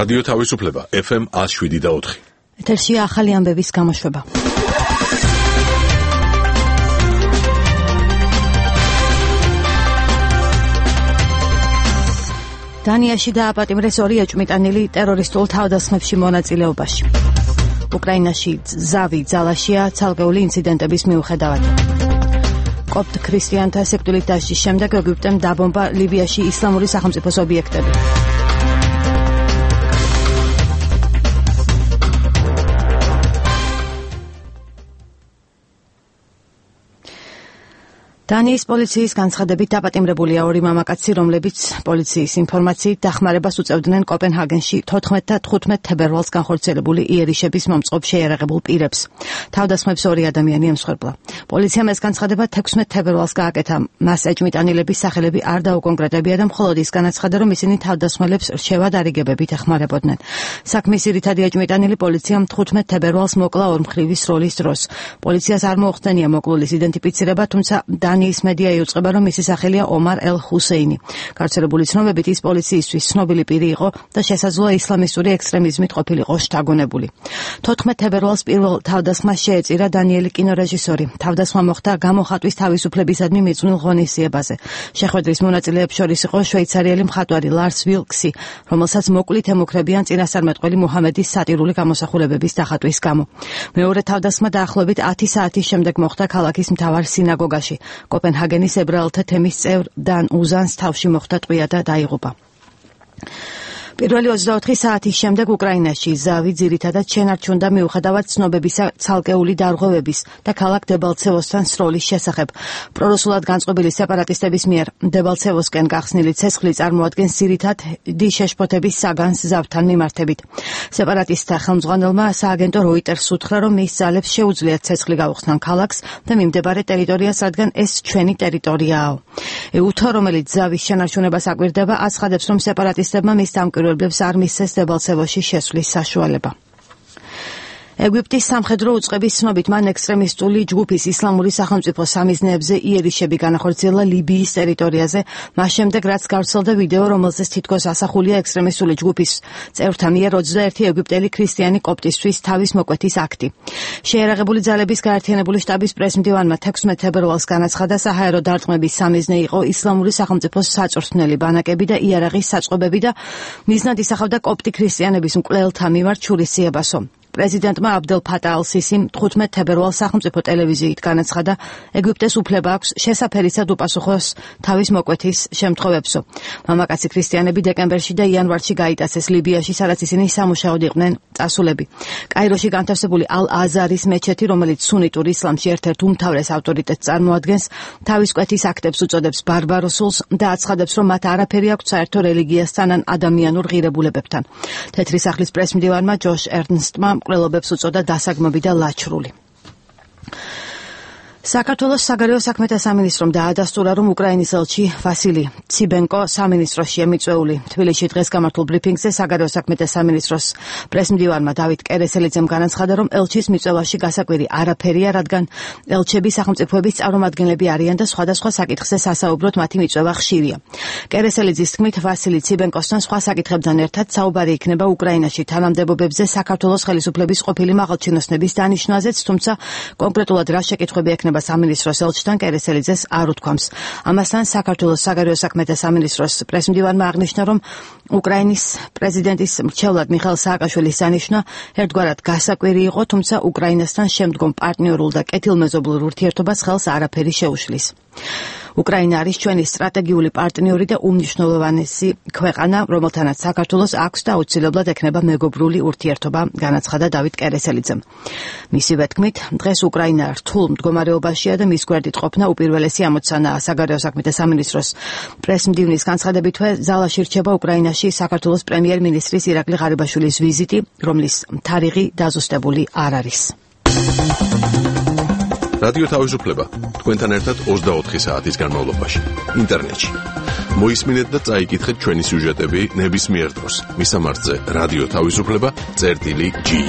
რადიო თავისუფლება FM 107.4. ეთერში ახალი ამბების გამოშვება. დანიაში დააპატიმრეს 2 ეჭვმიტანილი ტერორისტულ თავდასხმებში მონაწილეობაში. უკრაინაში ზავი ძალაშია ცალკეული ინციდენტების მიუხედავად. კოპტ ქრისტიანთა სექტულის დაშლის შემდეგ ეგვიპტემ დაბომბა ლიბიაში ისლამური სახელმწიფოს ობიექტები. დანიის პოლიციის განცხადებით დაპატიმრებულია 2 მამაკაცი, რომლებიც პოლიციის ინფორმაციით დახმარებას უწევდნენ კოპენჰაგენში 14 და 15 თებერვალს განხორციელებული იერიშების მომწყობ შეიარაღებულ პირებს. თავდასხმებს 2 ადამიანი ემსხვერპლა. პოლიციამ ეს განცხადება 16 თებერვალს გააკეთა. მას ეჭვმიტანილების სახელები არ დაუკონკრეტებია და მხოლოდ ის განაცხადა, რომ ისინი თავდასხმელებს რჩევად არიგებებით ეხმარებოდნენ. საქმის ძირითადი ეჭვმიტანილი პოლიციამ 15 თებერვალს მოკლა ორმხრივის როლის დროს. პოლიციას არ მოუხდენია მოკლულის იდენტიფიცირება, თუმცა დანიის მედია იუწყება, რომ მისი სახელია ომარ ელ-ჰუსეინი. გავრცელებული ცნობებით ის პოლიციისთვის ცნობილი პირი იყო და შესაძლოა ისლამისტური ექსტრემიზმით ყოფილიყო შთაგონებული. 14 თებერვალს პირველ თავდასხმას შეეწირა დანიელი კინორეჟისორი. თავდასხმა მოხდა გამოხატვის თავისუფლებისადმი მიწვნილ ღონისძიებაზე. შეხვედრის მონაწილეებს შორის იყო შვეიცარიელი მხატვარი ლარს ვილკსი, რომელსაც მოკლით ემუქრებიან წინასწარმეტყველი მუჰამედის სატირული გამოსახულებების დახატვის გამო. მეორე თავდასხმა დაახლოებით 10 საათის შემდეგ მოხდა ქალაქის მთავარ სინაგოგაში. კოპენჰაგენის ებრაელთა თემის წევრ დან უზანს თავში მოხდა ტყვია და დაიღუპა. პირველი 24 საათის შემდეგ უკრაინაში ზავი ძირითადად შენარჩუნდა მიუხედავად ცნობებისა ცალკეული დარღვევების და ქალაქ დებალცევოსთან სროლის შესახებ. პრორუსულად განწყობილი სეპარატისტების მიერ დებალცევოსკენ გახსნილი ცეცხლი წარმოადგენს ძირითად შეშფოთების საგანს ზავთან მიმართებით. სეპარატისტთა ხელმძღვანელმა სააგენტო როიტერს უთხრა, რომ მის ძალებს შეუძლიათ ცეცხლი გაუხსნან ქალაქს და მიმდებარე ტერიტორიას, რადგან ეს ჩვენი ტერიტორიაა. ეუთო, რომელიც ზავის შენარჩუნებას აკვირდება, აცხადებს, რომ სეპარატისტებმა მის დამკვირვებლებს არ მისცეს დებალცევოსში შესვლის საშუალება. ეგვიპტის სამხედრო უწყების ცნობით მან ექსტრემისტული ჯგუფის ისლამური სახელმწიფო სამიზნეებზე იერიშები განახორციელა ლიბიის ტერიტორიაზე, მას შემდეგ რაც გავრცელდა ვიდეო, რომელზეც თითქოს ასახულია ექსტრემისტული ჯგუფის წევრთა მიერ 21 ეგვიპტელი ქრისტიანი კოპტისთვის თავის მოკვეთის აქტი. შეიარაღებული ძალების გაერთიანებული შტაბის პრესმდივანმა 16 თებერვალს განაცხადა, საჰაერო დარტყმების სამიზნე იყო ისლამური სახელმწიფოს საწვრთნელი ბანაკები და იარაღის საწყობები და მიზნად ისახავდა კოპტი ქრისტიანების მკვლელთა მიმართ შურისძიებასო. პრეზიდენტმა აბდელ ფატა ალ-სისიმ 15 თებერვალს სახელმწიფო ტელევიზიით განაცხადა, ეგვიპტეს უფლება აქვს შესაფერისად უპასუხოს თავის მოკვეთის შემთხვევებსო. მამაკაცი ქრისტიანები დეკემბერში და იანვარში გაიტაცეს ლიბიაში, სადაც ისინი სამუშაოდ იყვნენ წასულები. კაიროში განთავსებული ალ-აზარის მეჩეთი, რომელიც სუნიტურ ისლამში ერთ-ერთ უმთავრეს ავტორიტეტს წარმოადგენს, თავის კვეთის აქტებს უწოდებს ბარბაროსულს და აცხადებს, რომ მათ არაფერი აქვთ საერთო რელიგიასთან ან ადამიანურ ღირებულებებთან. თეთრი სახლის პრესმდივანმა ჯოშ ერნსტმა მკვლელობებს უწოდა დასაგმობი და ლაჩრული. საქართველოს საგარეო საქმეთა სამინისტრომ დაადასტურა, რომ უკრაინის ელჩი ვასილი ციბენკო სამინისტროშია მიწვეული. თბილისში დღეს გამართულ ბრიფინგზე საგარეო საქმეთა სამინისტროს პრესმდივანმა დავით კერესელიძემ განაცხადა, რომ ელჩის მიწვევაში გასაკვირი არაფერია, რადგან ელჩები სახელმწიფოების წარმომადგენლები არიან და სხვადასხვა საკითხზე სასაუბროდ მათი მიწვევა ხშირია. კერესელიძის თქმით, ვასილი ციბენკოსთან სხვა საკითხებთან ერთად საუბარი იქნება უკრაინაში თანამდებობებზე საქართველოს ხელისუფლების ყოფილი მაღალჩინოსნების დანიშვნაზეც, თუმცა კონკრეტულად რა შეკითხვები ექნება სამინისტროს ელჩთან კერესელიძეს არ უთქვამს. ამასთან საქართველოს საგარეო საქმეთა სამინისტროს პრესმდივანმა აღნიშნა, რომ უკრაინის პრეზიდენტის მრჩევლად მიხაილ სააკაშვილის დანიშვნა ერთგვარად გასაკვირი იყო, თუმცა უკრაინასთან შემდგომ პარტნიორულ და კეთილმეზობლურ ურთიერთობას ხელს არაფერი შეუშლის. უკრაინა არის ჩვენი სტრატეგიული პარტნიორი და უმნიშვნელოვანესი ქვეყანა, რომელთანაც საქართველოს აქვს და აუცილებლად ექნება მეგობრული ურთიერთობა, განაცხადა დავით კერესელიძემ. მისივე თქმით, დღეს უკრაინა რთულ მდგომარეობაშია და მის გვერდით ყოფნა უპირველესი ამოცანაა. საგარეო საქმეთა სამინისტროს პრესმდივნის განცხადებითვე ზალაში რჩება უკრაინაში საქართველოს პრემიერ-მინისტრის ირაკლი ღარიბაშვილის ვიზიტი, რომლის თარიღი დაზუსტებული არ არის. რადიო თავისუფლება თქვენთან ერთად 24 საათის განმავლობაში ინტერნეტში. მოისმინეთ და წაიკითხეთ ჩვენი სიუჟეტები ნებისმიერ დროს. მისამართზე რადიო თავისუფლება.gi